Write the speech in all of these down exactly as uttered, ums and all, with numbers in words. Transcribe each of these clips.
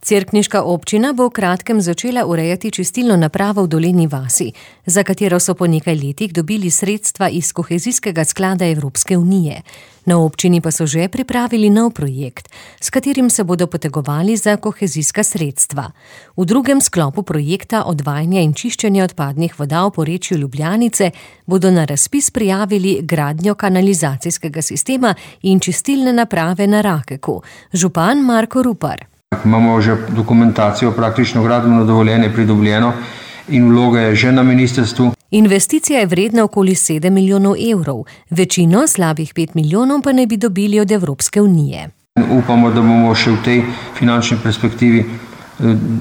Cerkniška občina bo v kratkem začela urejati čistilno napravo v Dolenji vasi, za katero so po nekaj letih dobili sredstva iz kohezijskega sklada Evropske unije. Na občini pa so že pripravili nov projekt, s katerim se bodo potegovali za kohezijska sredstva. V drugem sklopu projekta odvajanja in čiščenja odpadnih voda v porečju Ljubljanice bodo na razpis prijavili gradnjo kanalizacijskega sistema in čistilne naprave na Rakeku. Župan Marko Rupar. Imamo že dokumentacijo, praktično gradbeno dovoljenje pridobljeno in vloga je že na ministrstvu. Investicija je vredna okoli sedem milijonov evrov, večino, slabih pet milijonov, pa naj bi dobili od Evropske unije. Upamo, da bomo še v tej finančni perspektivi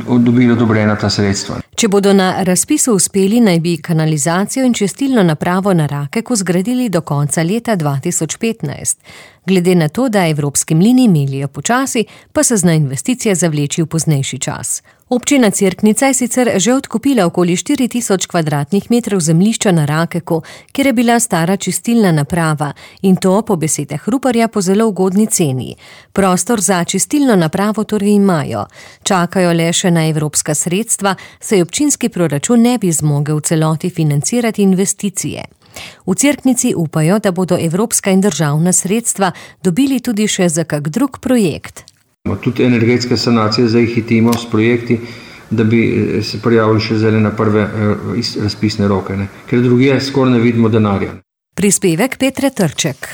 dobili odobrena ta sredstva. Če bodo na razpisu uspeli, naj bi kanalizacijo in čistilno napravo na Rakeku zgradili do konca leta dva tisoč petnajst. Glede na to, da evropski mlini melijo počasi, pa se zna investicija zavleči v poznejši čas. Občina Cerknica je sicer že odkupila okoli štiri tisoč kvadratnih metrov zemljišča na Rakeku, kjer je bila stara čistilna naprava, in to po besedah Ruparja po zelo ugodni ceni. Prostor za čistilno napravo torej imajo. Čakajo le še na evropska sredstva, saj občinski proračun ne bi zmogel v celoti financirati investicije. V Cerknici upajo, da bodo evropska in državna sredstva dobili tudi še za kak drug projekt. Tudi energetske sanacije zdaj hitimo s projekti, da bi se prijavili še zdaj na prve razpisne roke, ne? Ker drugje skoraj ne vidimo denarja. Prispevek Petre Trček.